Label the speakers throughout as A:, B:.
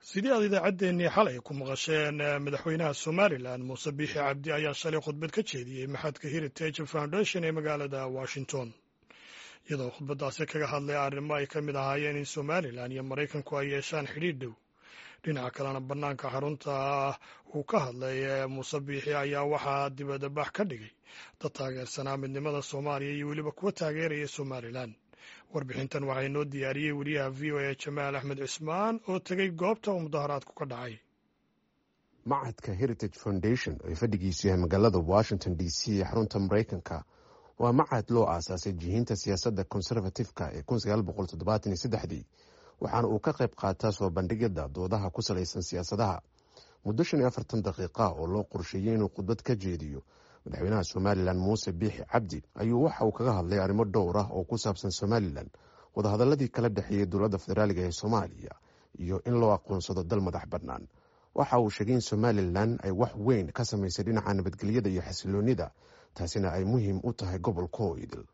A: Sidii aad idaacaddeenii xalay ku maqasheen, madaxweynaha Somalilan Muuse Biixi Cabdi ayaa shalay khudbad ka jeediyey machadka Heritage Foundation ee magaalada Washington, iyadoo khudbaddaasi kaga hadlay arrimo ay ka mid ahaayeen in Somalilan iyo Maraykanku ay yeeshaan xidhiidh dhow. Dhinaca kalena, bannaanka xarunta uu ka hadlay Muuse Biixi ayaa waxaa dibadbax ka dhigay dad taageersanaa midnimada Soomaaliya iyo weliba kuwa taageeraya Somalilan. Warbixintan waxaa inoo diyaariyey wariyaha VOA Jamaal Axmed Cismaan oo tegey goobta uu mudaharaadku ka dhacay.
B: Machadka Heritage Foundation ee fadhigiisu yahay magaalada Washington DC ee xarunta Maraykanka waa machad loo aasaasay jihinta siyaasadda conservative-ka ee 1973dii, waxaana uu ka qayb qaataa soo bandhigyada doodaha ku salaysan siyaasadaha. Muddo 45 daqiiqa oo loo qorsheeyey inuu khudbad ka jeediyo madaxweynaha Somalilan Muuse Biixi Cabdi ayuu waxa uu kaga hadlay arrimo dhowr ah oo ku saabsan Somalilan, wadahadaladii kala dhexeeyey dowladda federaaliga ee Soomaaliya iyo in loo aqoonsado dal madax bannaan. Waxa uu sheegay in Somalilan ay wax weyn ka samaysay dhinaca nabadgelyada iyo xasiloonida, taasina ay muhiim u tahay gobolka oo idil.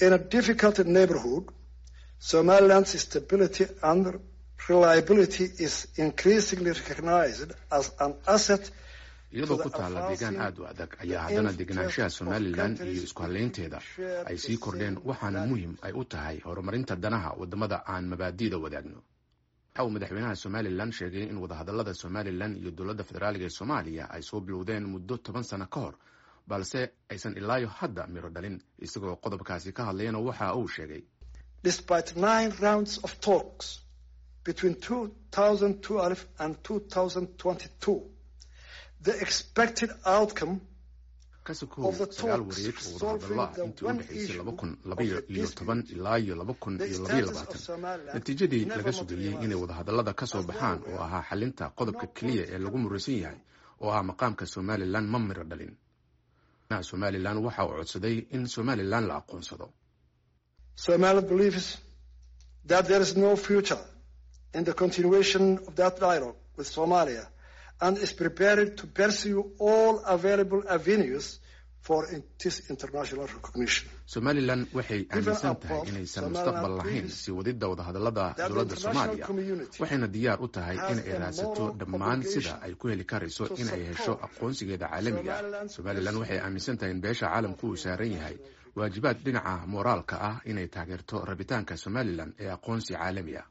C: In a difficult neighborhood, Somaliland's stability and reliability is increasingly recognized as an asset.
D: Iyadoo ku taalla deegaan aad u adag ayaa haddana degenaanshaha Somalilan iyo isku hallaynteeda ay sii kordheen, waxaana muhiim ay u tahay horumarinta danaha waddamada aan mabaadi'da wadaagno. Waxa uu madaxweynaha Somalilan sheegay in wadahadallada Somalilan iyo dowladda federaaliga ee Soomaaliya ay soo bilowdeen muddo 10 sano ka hor, balse aysan ilaayo hadda miro dhalin. Isagoo qodobkaasi ka hadlayana waxa uu sheegay:
C: Despite nine rounds of talks between 2012 and 2022, the expected outcome
D: Ka sokow sagaal wareeg oo wadahadallo ah intii u dhexaysay 2012 ilaa iyo 2022, natiijadii laga sugayey inay wadahadallada ka soo baxaan oo ahaa xalinta qodobka keliya ee lagu muraysan yahay oo ah maqaamka Somalilan ma miro dhalin. Somalilan waxa uu codsaday in Somalilan la aqoonsado.
C: Somaliland believes that there is no future in the continuation of that dialogue with Somalia and is prepared to pursue all available avenues for this international recognition.
D: Somalilan waxay aaminsan tahay inaysan mustaqbal lahayn sii wadidda wadahadallada dowladda Soomaaliya, waxayna diyaar u tahay in ay raadsato dhammaan sida ay ku heli karayso in ay hesho aqoonsigeeda caalamiga ah. Somalilan waxay aaminsan tahay in beesha caalamku uu saaran yahay waajibaad dhinaca mooraalka ah inay taageerto rabitaanka Somalilan ee aqoonsi caalami ah.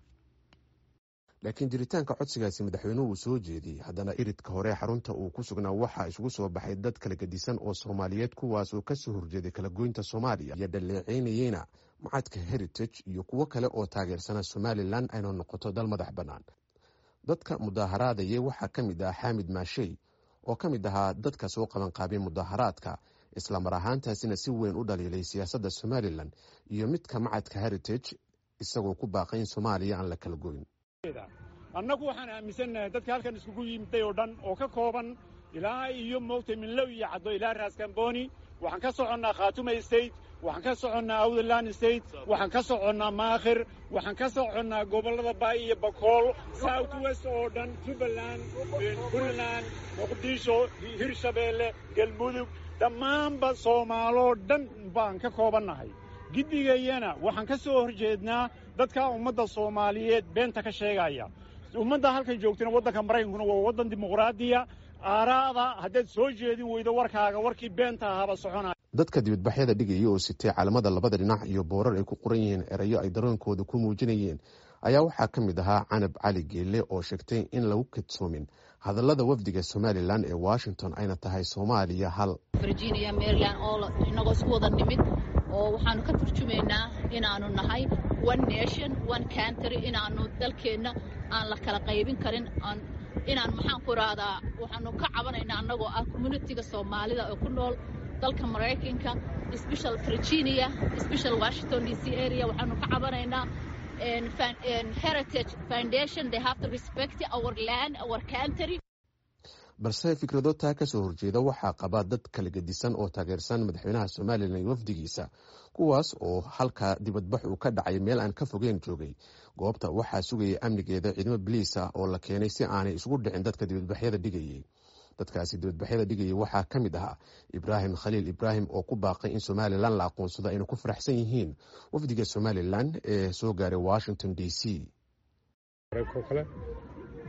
B: Laakiin jiritaanka codsigaasi madaxweynuhu uu soo jeediyey, haddana iridka hore xarunta uu ku sugnaa waxaa isugu soo baxay dad kala gedisan oo Soomaaliyeed, kuwaas oo kasoo horjeeday kala goynta Soomaaliya iyo dhaleeceynayeyna machadka Heritage iyo kuwo kale oo taageersana Somalilan ayna noqoto dal madax bannaan. Dadka mudaaharaadayay waxaa ka mid ah Xaamid Maashey oo ka mid ahaa dadka soo qabanqaabay mudaharaadka, islamar ahaantaasina si weyn u dhaliilay siyaasadda Somalilan iyo midka machadka Heritage, isagoo ku baaqay in Soomaaliya aan la kala goyn.
E: Annagu waxaan aaminsannahay dadka halkan iskugu yimiday oo dhan oo ka kooban ilaa iyo moogtay Minlow iyo Caddo ilaa Raaskamboni. Waxaan ka soconnaa Khaatuma State, waxaan ka soconnaa Awdaland State, waxaan ka soconnaa Maakhir, waxaan ka soconnaa gobollada Baay iyo Bakool, South West oo dhan, Jubbaland, Puntland, Muqdisho, Hirshabeelle, Galmudug, dhammaanba Soomaaloo dhan baan ka koobannahay. Giddigayana waxaan ka soo horjeednaa dadka ummadda Soomaaliyeed beenta ka sheegaya. Ummadda halkan joogtana, waddanka Maraykankuna waa waddan dimuqraadiya. Aaraada haddaad soo jeedin weydo warkaaga, warkii beenta ahaaba soconaya.
B: Dadka dibadbaxyada dhigaya oo sitay calamada labada dhinac iyo boorar ay ku qoran yihiin erayo ay dareenkooda ku muujinayeen ayaa waxaa ka mid ahaa Canab Cali Geelle oo sheegtay in lagu kadsoomin hadallada wafdiga Somalilan ee Washington, ayna tahay Soomaaliya hal.
F: Virginia, Maryland oo inagoo isku wada nimid oo waxaanu ka turjumaynaa inaanu nahay one nation, one country, inaanu dalkeenna aan la kala qaybin karin, inaan maxaan ku rahdaa, waxaanu ka cabanaynaa annagoo ah community-ga Soomaalida oo ku nool dalka Maraykanka, special Virginia, special Washington DC area. Waxaanu ka cabanaynaa Heritage Foundation. They have to respect our land, our country.
B: Balse fikrado taa kasoo horjeeda waxaa qaba dad kala gedisan oo taageersan madaxweynaha Somalilan iyo wafdigiisa, kuwaas oo halka dibadbax uu ka dhacay meel aan ka fogeyn joogay. Goobta waxaa sugayay amnigeeda ciidamo biliis ah oo la keenay si aanay isugu dhicin dadka dibadbaxyada dhigayay. Dadkaasi dibadbaxyada dhigayay waxaa ka mid ahaa Ibraahim Khaliil Ibraahim oo ku baaqay in Somalilan la aqoonsado, ayna ku faraxsan yihiin wafdiga Somalilan ee soo gaaray Washington DC.
G: Kale.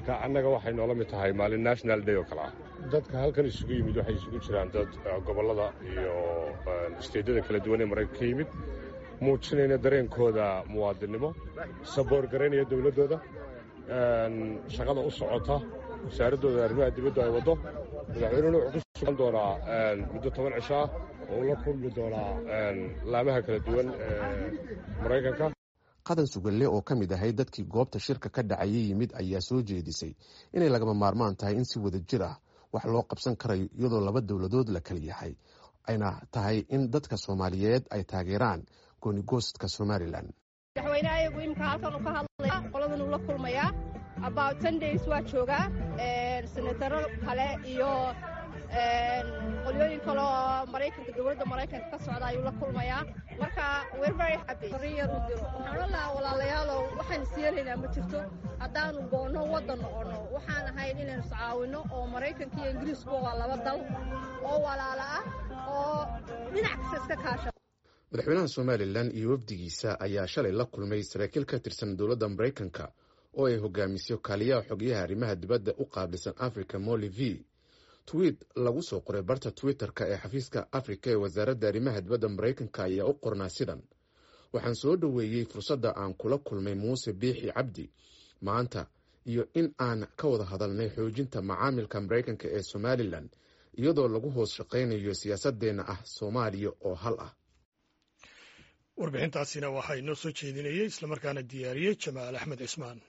G: Marka annaga waxay noola mid tahay maalin national day oo kale ah. Dadka halkan isugu yimid waxay isugu jiraan dad gobollada iyo isteedyada kala duwan ee Maraykanka ka yimid, muujinayna dareenkooda muwaadinnimo, saboor garaynaya dowladdooda, shaqada u socota wasaaraddooda arrimaha dibaddu ay waddo. Madaxweynuhuna wuxuu ku sugan doonaa muddo 10 cisho ah oo uu la kulmi doonaa laamaha kala duwan ee Maraykanka.
B: Qadan Sugalle oo ka mid ahay dadkii goobta shirka ka dhacayay yimid ayaa soo jeedisay inay lagama maarmaan tahay in si wada jir ah wax loo qabsan karayo, iyadoo laba dowladood la kala yahay, ayna tahay in dadka Soomaaliyeed ay taageeraan goonigoostka Somalilan.
H: Madaxweyne ayagu imika halkan uu ka hadlaya, qoladan uu la kulmayaa, about 10 days waa joogaa. Senataro kale iyo qolyooyin kale oo Maraykanka, dowladda Maraykanka ka socda ayuu la kulmayaa. Marka we're very happy. Yar u diro waxaan odhan lahaa: walaalayaalow, waxaan is yeelaynaa ma jirto haddaanu goonno waddan noqonno. Waxaan ahayn inaynu iscaawinno, oo Maraykanka iyo Ingiriiskuba waa laba dal oo walaala ah oo dhinac kasta iska kaasha.
B: Madaxweynaha Somalilan iyo wafdigiisa ayaa shalay la kulmay saraakiil ka tirsan dowladda Maraykanka oo ay hogaamiso kaaliyaha xogyaha arrimaha dibadda u qaabilsan Africa, Molly V. Tweet lagu soo qoray barta Twitter-ka ee xafiiska Afrika ee wasaaradda arrimaha dibadda Maraykanka ayaa u qornaa sidan: "Waxaan soo dhoweeyey fursadda aan kula kulmay Muuse Biixi Cabdi maanta iyo in aan ka wada hadalnay xoojinta macaamilka Maraykanka ee Somalilan, iyadoo lagu hoos shaqaynayo siyaasadeenna ah Soomaaliya oo hal ah."
A: Warbixintaasina waxaa inoo soo jeedinayey islamarkaana diyaariyey Jamaal Axmed Cismaan.